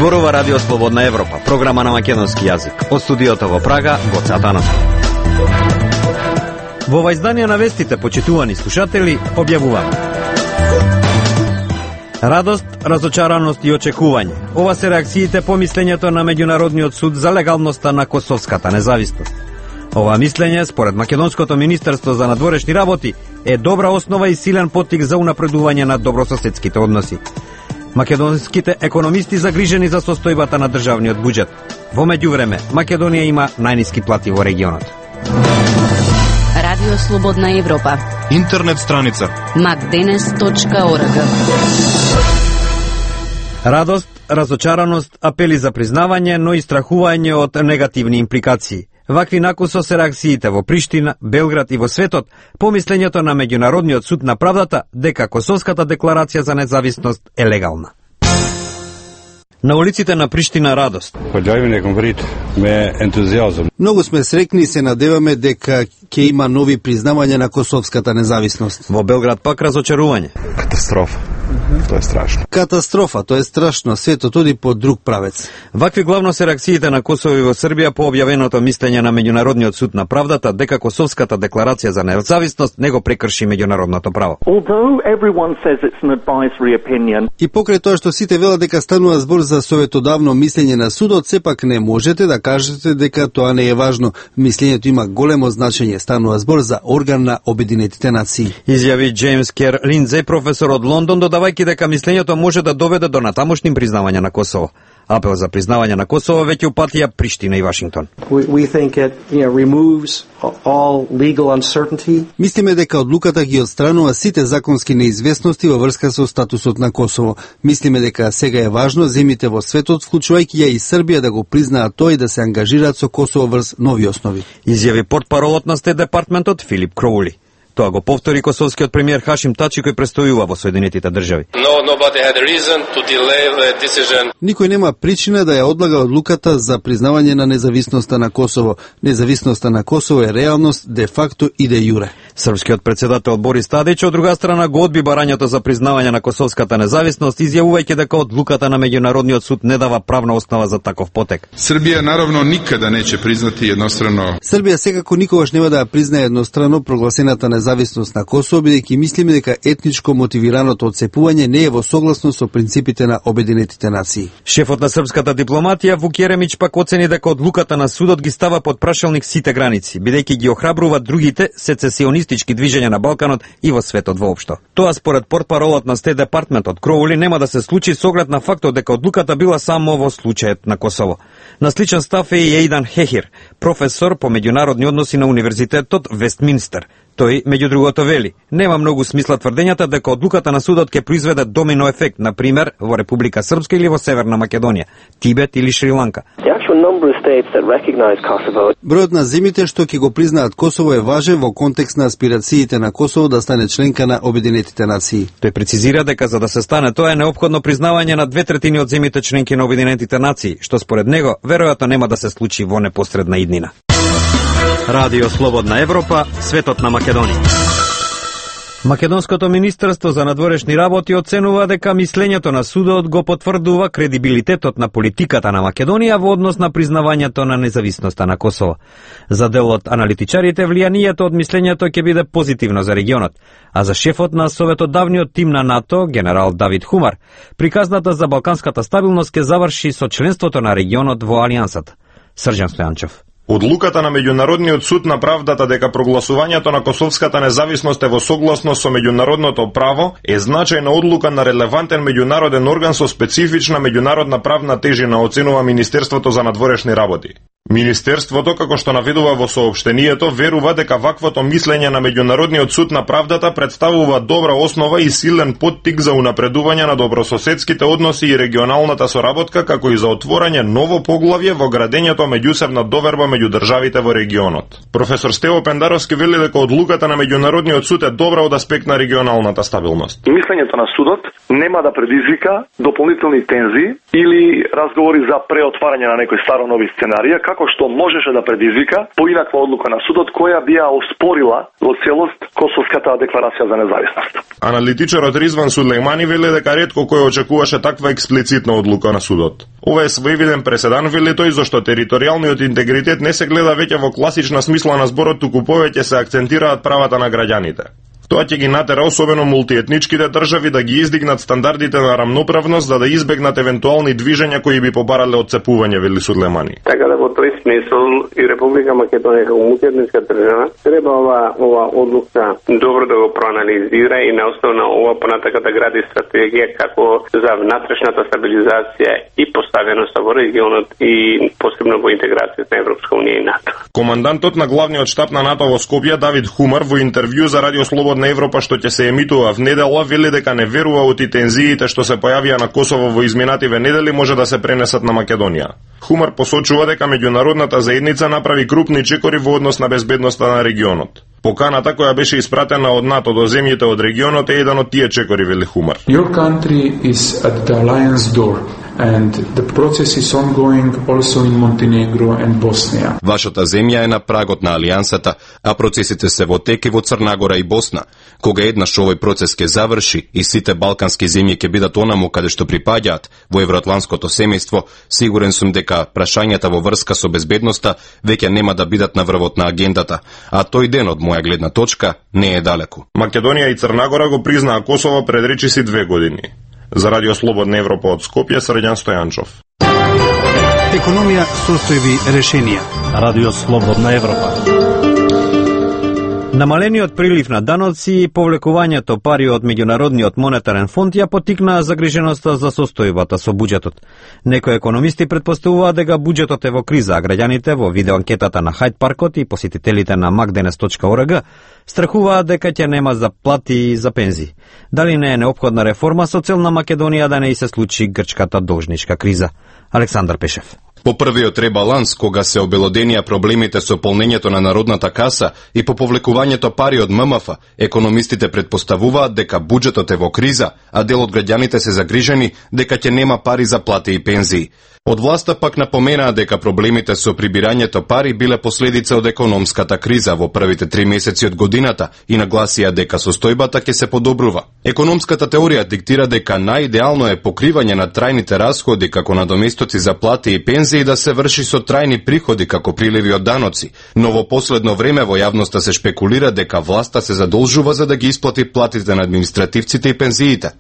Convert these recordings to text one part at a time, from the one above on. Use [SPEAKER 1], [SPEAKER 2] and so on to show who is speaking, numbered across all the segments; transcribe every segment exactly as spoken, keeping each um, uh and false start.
[SPEAKER 1] Зборува Радио Слободна Европа, програма на македонски јазик. Од студиото во Прага, Гоце Атанасов. Во ова издание на вестите, почитувани слушатели, објавуваме радост, разочараност и очекување. Ова се реакциите по мислењето на Меѓународниот суд за легалноста на косовската независност. Ова мислење, според Македонското министерство за надворешни работи, е добра основа и силен поттик за унапредување на добрососедските односи. Македонските економисти загрижени за состојбата на државниот буџет. Во меѓувреме, Македонија има најниски плати во регионот.
[SPEAKER 2] Радио Слободна Европа.
[SPEAKER 3] Интернет страница
[SPEAKER 2] макденес точка орг.
[SPEAKER 1] Радост, разочараност, апели за признавање, но и страхување од негативни импликации. Вакви накусо се реакциите во Приштина, Белград и во светот по мислењето на Меѓународниот суд на правдата дека Косовската декларација за независност е легална. На улиците на Приштина радост.
[SPEAKER 4] Појавивме конкрет ме ентузијазм.
[SPEAKER 5] Многу сме срекни и се надеваме дека ќе има нови признавања на Косовската независност.
[SPEAKER 1] Во Белград пак разочарување.
[SPEAKER 4] Катастрофа. Тоа е страшно.
[SPEAKER 5] Катастрофа, тоа е страшно. Светот оди по друг правец.
[SPEAKER 1] Вакви главно се реакциите на Косово и во Србија по објавеното мислење на Меѓународниот суд на правдата дека Косовската декларација за независност не го прекрши меѓународното право.
[SPEAKER 5] И покрај тоа што сите велат дека станува збор за советодавно мислење на судот, сепак не можете да кажете дека тоа не е важно. Мислењето има големо значење. Станува збор за орган на Обединетите нации.
[SPEAKER 1] Изјави Джеймс Кер Линдзеј, професор од Лондон, додавајќи дека мислењето може да доведе до натамошни признавања на Косово. Апел за признавање на Косово веќе упатија Приштина и Вашингтон.
[SPEAKER 6] We, we think it, you know, removes all legal uncertainty.
[SPEAKER 5] Мислиме дека одлуката ги отстранува сите законски неизвестности во врска со статусот на Косово. Мислиме дека сега е важно земјите во светот, вклучувајќи ја и Србија, да го признаат тој и да се ангажираат со Косово врз нови основи.
[SPEAKER 1] Изјави портпаролот на Стет департментот Филип Кроули. Тоа го повтори косовскиот премиер Хашим Тачи кој престојува во Соединетите држави.
[SPEAKER 7] No, nobody had a reason to delay the decision.
[SPEAKER 5] Никој нема причина да ја одлага одлуката за признавање на независноста на Косово. Независноста на Косово е реалност де факто и де јуре.
[SPEAKER 1] Српскиот председател Борис Тадич од друга страна го одби барањето за признавање на косовската независност, изјавувајќи дека одлуката на Меѓународниот суд не дава правна основа за таков потек.
[SPEAKER 8] Србија наравно никада неќе признати еднострано.
[SPEAKER 5] Србија секако никогаш нема да ја признае еднострано прогласената независност на Косово, бидејќи мислиме дека етничко мотивираното отцепување не е во согласност со принципите на Обединетите нации.
[SPEAKER 1] Шефот на српската дипломатија Вук Јеремич пак оцени дека одлуката на судот ги става под прашалник сите граници, бидејќи ги охрабрува другите сецесионистички движења на Балканот и во светот воопшто. Тоа според портпаролот на Стет департментот Кроули нема да се случи со оглед на фактот дека одлуката била само во случајот на Косово. На сличен став е и Ејдан Хехир, професор по меѓународни односи на Универзитетот Вестминстер. Тој, меѓу другото, вели, нема многу смисла тврдењата дека одлуката на судот ќе произведе домино ефект, на пример, во Република Српска или во Северна Македонија, Тибет или Шри-Ланка.
[SPEAKER 5] Бројот на земјите што ќе го признаат Косово е важен во контекст на аспирациите на Косово да стане членка на Обединетите нации.
[SPEAKER 1] Тој прецизира дека за да се стане тоа е неопходно признавање на две третини од земјите членки на Обединетите нации, што според него веројатно нема да се случи во непосредна иднина. Радио Слободна Европа, светот на Македонија. Македонското министерство за надворешни работи оценува дека мислењето на судот го потврдува кредибилитетот на политиката на Македонија во однос на признавањето на независноста на Косово. За дел од аналитичарите, влијанието од мислењето ќе биде позитивно за регионот, а за шефот на советодавниот тим на НАТО, генерал Давид Хумар, приказната за балканската стабилност ќе заврши со членството на регионот во Алијансата. Срđan Стојанчев.
[SPEAKER 3] Одлуката на Меѓународниот суд на правдата дека прогласувањето на косовската независност е во согласност со меѓународното право е значајна одлука на релевантен меѓународен орган со специфична меѓународна правна тежина, оценува Министерството за надворешни работи. Министерството, како што наведува во соопштението, верува дека ваквото мислење на Меѓународниот суд на правдата представува добра основа и силен поттик за унапредување на добрососедските односи и регионалната соработка, како и за отворање ново поглавје во градењето меѓусебна доверба меѓу меѓу државите во регионот. Професор Стево Пендаровски вели дека одлуката на меѓународниот суд е добра од аспект на регионалната стабилност.
[SPEAKER 9] Мислењето на судот нема да предизвика дополнителни тензии или разговори за преотварање на некои старо нови сценарија, како што можеше да предизвика поинаква одлука на судот која би ја оспорила во целост Косовската декларација за независност.
[SPEAKER 3] Аналитичарот Ризван Сулеймани вели дека ретко кој очекуваше таква експлицитна одлука на судот. Ова е своевиден преседан, вели тој, зашто територијалниот интегритет не се гледа веќе во класична смисла на зборот, туку повеќе се акцентираат правата на граѓаните. Тоа ќе ги натера особено мултиетничките држави да ги издигнат стандардите на рамноправност за да избегнат евентуални движења кои би побарале отцепување, вели Сулеймани.
[SPEAKER 10] Така да во тој смисол и Република Македонија како мултиетничка држава треба ова ова одлука добро да го проанализира и на основа на ова понатака да гради стратегија како за внатрешната стабилизација и поставеност во регионот и посебно во интеграцијата на Европска унија и НАТО.
[SPEAKER 3] Командантот на главниот штаб на НАТО во Скопје Давид Хумар во интервју за Радио Слободна на Европа што ќе се емитува в недела вели дека не верува од тензиите што се појавија на Косово во изминативе недели може да се пренесат на Македонија. Хумар посочува дека меѓународната заедница направи крупни чекори во однос на безбедноста на регионот. Поканата која беше испратена од НАТО до земјите од регионот е еден од тие чекори, вели Хумар.
[SPEAKER 11] Your country is at the alliance door. And the process is ongoing also in Montenegro and Bosnia.
[SPEAKER 12] Вашата земја е на прагот на алијансата, а процесите се во тек и во Црна Гора и Босна. Кога еднаш овој процес ќе заврши и сите балкански земји ќе бидат онаму каде што припаѓаат во евроатлантското семејство, сигурен сум дека прашањата во врска со безбедноста веќе нема да бидат на врвот на агендата, а тој ден од моја гледна точка не е далеку.
[SPEAKER 3] Македонија и Црна Гора го признаа Косово пред речиси две години. За Радио Слободна Европа од Скопје, Срđan Стојанчов.
[SPEAKER 5] Економија, состојби, решенија.
[SPEAKER 13] Радио Слободна Европа.
[SPEAKER 1] Намалениот прилив на даноци и повлекувањето пари од Меѓународниот монетарен фонд ја потикнаа загриженоста за состојбата со буџетот. Некои економисти претпоставуваат дека буџетот е во криза, а граѓаните во видеоанкетата на Хајд паркот и посетителите на мак денес точка орг страхуваат дека ќе нема за плати и за пензии. Дали не е неопходна реформа со цел на Македонија да не и се случи грчката должничка криза? Александар Пешев.
[SPEAKER 12] По првиот ребаланс, кога се обелоденија проблемите со полнењето на народната каса и по повлекувањето пари од ММФ, економистите претпоставуваат дека буџетот е во криза, а дел од граѓаните се загрижени дека ќе нема пари за плати и пензии. Од власта пак напоменаа дека проблемите со прибирањето пари биле последица од економската криза во првите три месеци од годината и нагласија дека состојбата ќе се подобрува. Економската теорија диктира дека најидеално е покривање на трајните расходи како надоместоци за плати и пензии да се врши со трајни приходи како приливи од даноци, но во последно време во јавноста се шпекулира дека власта се задолжува за да ги исплати платите на административците и пензиите.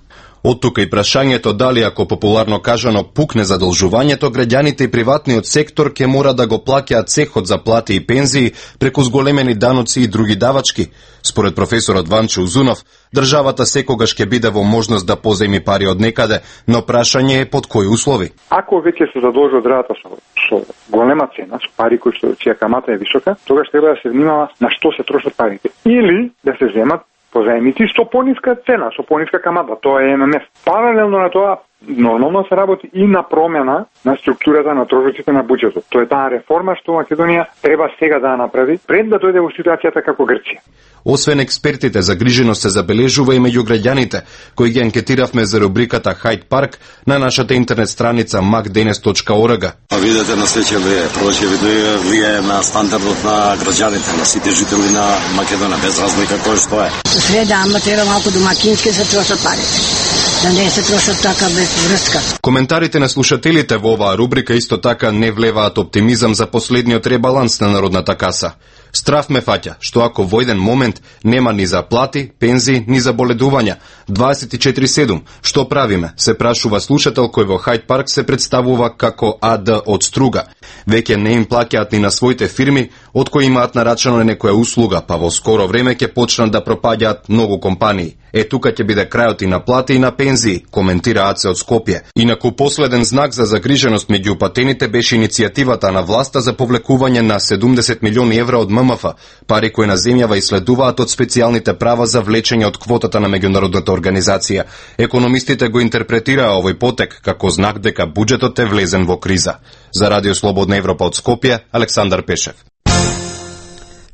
[SPEAKER 12] Од тука и прашањето дали ако популарно кажано пукне задолжувањето, граѓаните и приватниот сектор ќе мора да го плаќаат цехот за плати и пензии преку зголемени даноци и други давачки. Според професорот Ванчо Узунов, државата секогаш ќе биде во можност да позајми пари од некаде, но прашање е под кои услови.
[SPEAKER 14] Ако веќе се задолжува државата со, со голема цена, со пари кои што чија камата е висока, тогаш треба да се внимава на што се трошат парите. Или да се земат позајмици со пониска цена, со пониска камата, тоа е ММФ. Паралелно на тоа, нормално се работи и на промена на структурата на трошоците на буџетот. Тоа е таа реформа што Македонија треба сега да направи пред да дојде во ситуацијата како Грција.
[SPEAKER 12] Освен експертите, загриженост се забележува и меѓу граѓаните, кои ги анкетиравме за рубриката Хајд парк на нашата интернет страница мак денес точка орг.
[SPEAKER 15] Видете на следеќето влие, првото видео влие на стандардот на граѓаните, на сите жители на Македонија, без разлика кој што е.
[SPEAKER 16] Све да, ама треба малку домакински се трошат парите. Да не се трошат така без врска.
[SPEAKER 12] Коментарите на слушателите во оваа рубрика исто така не влеваат оптимизам за последниот ребаланс на народната каса. Страф ме фаќа, што ако во еден момент нема ни за плати, пензии, ни за боледувања, дваесет и четири седум, што правиме, се прашува слушател кој во Хајд парк се представува како АД од Струга. Веќе не им плаќаат ни на своите фирми, од кои имаат нарачано некоја услуга, па во скоро време ќе почнат да пропаѓаат многу компании. Е тука ќе биде крајот и на плати и на пензии, коментира АЦ од Скопје. Инаку последен знак за загриженост меѓу упатените беше иницијативата на власта за повлекување на седумдесет милиони евра од ММФ, пари кои на земјава исследуваат од специјалните права за влечење од квотата на меѓународната организација. Економистите го интерпретираа овој потек како знак дека буџетот е влезен во криза. За Радио Слободна Европа од Скопје, Александар Пешев.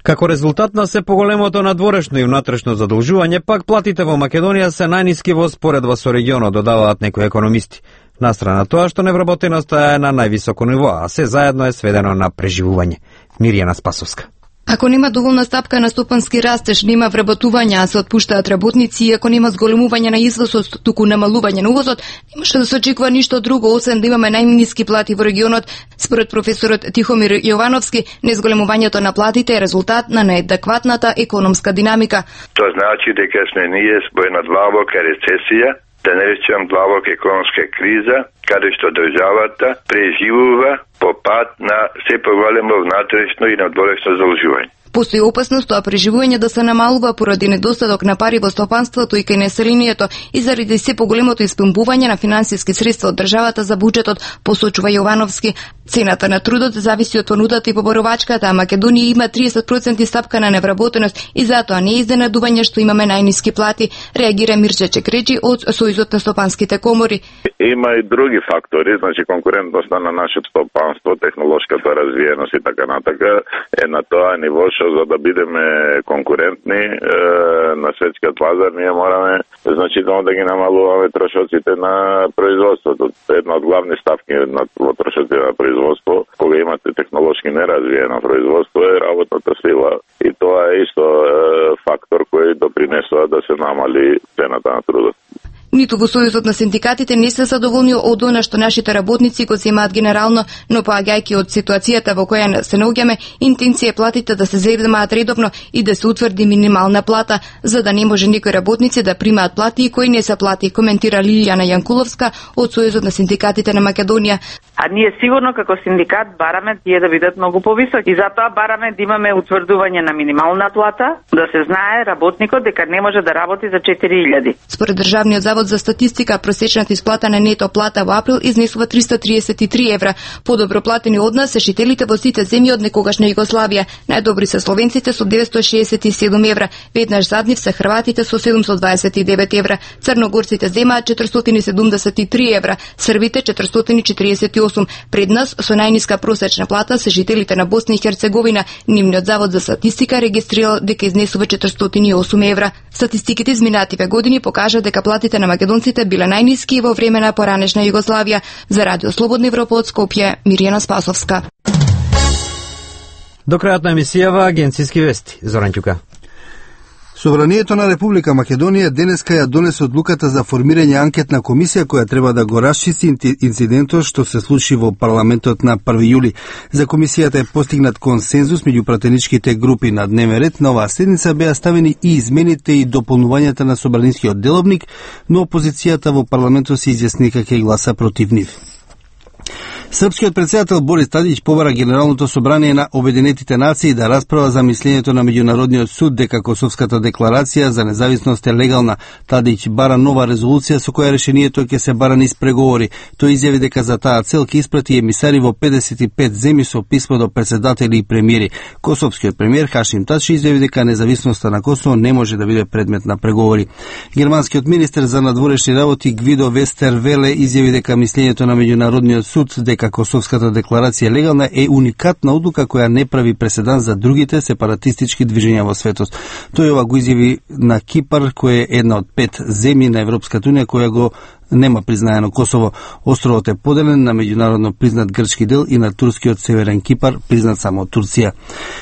[SPEAKER 1] Како резултат на се поголемото надворешно и внатрешно задолжување, пак платите во Македонија се најниски во споредба со регионот, додаваат некои економисти. Настрана тоа што невработеноста е на највисоко ниво, а се заедно е сведено на преживување. Миријана Спасовска.
[SPEAKER 17] Ако нема доволна стапка на стопански растеж, нема вработување, а се отпуштаат работници, и ако нема зголемување на извозот, туку намалување на увозот, немаше да се очекува ништо друго, освен да имаме најниски плати во регионот. Според професорот Тихомир Јовановски, незголемувањето на платите е резултат на неадекватната економска динамика.
[SPEAKER 18] Тоа значи дека сме ние во една длабока рецесија, да не речем длабока економска криза, каде што државата преживува по пат на се поголемо внатрешно и надворешно задолжување.
[SPEAKER 17] Постои опасност тоа преживување да се намалува поради недостаток на пари во стопанството и кај населението и заради се поголемото испомпување на финансиски средства од државата за буџетот, посочува Јовановски. Цената на трудот зависи од понудата и поборовачката, а Македонија има тридесет проценти стапка на невработеност и затоа не е изненадување што имаме најниски плати, реагира Мирче Чекреджи од Сојузот на стопанските комори.
[SPEAKER 19] Има и други фактори, значи конкурентноста на нашето стопанство, технолошката развиеност и така натака е на тоа ниво што за да бидеме конкурентни е, на светскиот пазар, ние мораме значително да ги намалуваме трошоците на производството. Една од главни ставки на трошоците на производство, кога имате технолошки неразвиено производство, е работната сила. И тоа е исто е, фактор кој допринесува да се намали цената на трудот.
[SPEAKER 17] Ниту во Сојузот на синдикатите не се задоволни од она што нашите работници го земаат генерално, но поаѓајќи од ситуацијата во која се наоѓаме, интенција е платите да се земаат редовно и да се утврди минимална плата, за да не може некои работници да примаат плати и кои не се плати, коментира Лилијана Јанкуловска од Сојузот на синдикатите на Македонија.
[SPEAKER 20] А ние сигурно како синдикат бараме тие да бидат многу повисоки и затоа бараме да имаме утврдување на минимална плата, да се знае работникот дека не може да работи за четири илјади.
[SPEAKER 17] Според Државниот завод за статистика, просечната исплата на нето плата во април изнесува триста триесет и три евра. Подобро платени од нас се жителите во сите земји од некогашна Југославија. Најдобри се словенците со деветстотини шеесет и седум евра, веднаш зад нив се хрватите со седумстотини дваесет и девет евра, црногорците земаат четиристотини седумдесет и три евра, србите четиристотини четириесет и осум. Пред нас со најниска просечна плата се жителите на Босна и Херцеговина. Нивниот завод за статистика регистрирал дека изнесува четиристотини и осум евра. Статистиките изминативе години покажа дека платите на македонците биле најниски во време на поранешна Југославија. За Радио Слободна Европа од Скопје, Миријана Спасовска.
[SPEAKER 1] До крајот на емисијава агенцијски вести. Зоран Ќука.
[SPEAKER 5] Собранието на Република Македонија денеска ја донесе одлуката за формирање анкетна комисија која треба да го расчисти инцидентот што се случи во парламентот на први јули. За комисијата е постигнат консензус меѓу пратеничките групи. На дневен ред на оваа седница беа ставени и измените и дополнувањата на собранискиот деловник, но опозицијата во парламентот се изјасни дека ќе гласа против нив. Српскиот председател Борис Тадиќ побара Генералното собрание на Обединетите нации да расправа за мислењето на Меѓународниот суд дека Косовската декларација за независност е легална. Тадиќ бара нова резолуција со која решението ќе се бара низ преговори. Тој изјави дека за таа цел ќе испрати емисари во педесет и пет земји со писмо до председатели и премиери. Косовскиот премиер Хашим Тачи изјави дека независноста на Косово не може да биде предмет на преговори. Германскиот министер за надворешни работи Гвидо Вестервеле изјави дека мислењето на Меѓународниот суд дека Косовската декларација легална е уникатна одлука која не прави преседан за другите сепаратистички движења во светот. Тој ова го изјави на Кипар, кој е една од пет земји на Европската унија која го нема признаено Косово. Островот е поделен на меѓународно признат грчки дел и на турскиот Северен Кипар, признат само од Турција.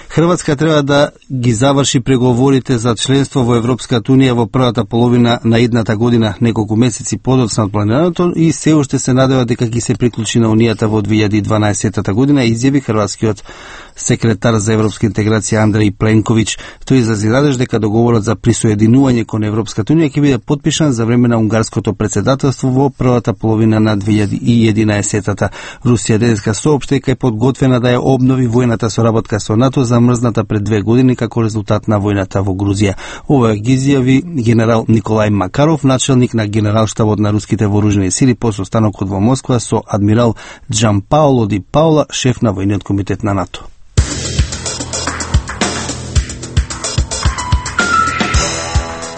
[SPEAKER 5] Хрватска треба да ги заврши преговорите за членство во Европската унија во првата половина на идната година, неколку месеци подоцна од планираното, и се уште се надева дека ќе се приклучи на унијата во две илјади и дванаесета година, изјави хрватскиот секретар за европска интеграција Андреј Пленковиќ. Тој изрази надеж дека договорот за присоединување кон Европската унија ќе биде подпишан за време на унгарското претседателство во првата половина на две илјади и единаесетта. Русија денеска соопшти дека е подготвена да ја обнови војната соработка со НАТО замрзната пред две години како резултат на војната во Грузија. Ова ги изјави генерал Николај Макаров, начелник на генералштабот на руските вооружени сили по состанокот во Москва со адмирал Джан Пауло Ди Паула, шеф на војниот комитет на НАТО.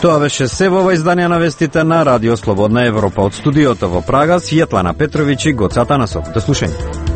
[SPEAKER 1] Тоа беше се во ова издание на вестите на Радио Слободна Европа. Од студиото во Прага, Светлана Петровиќ и Гоца Атанасов. До слушање.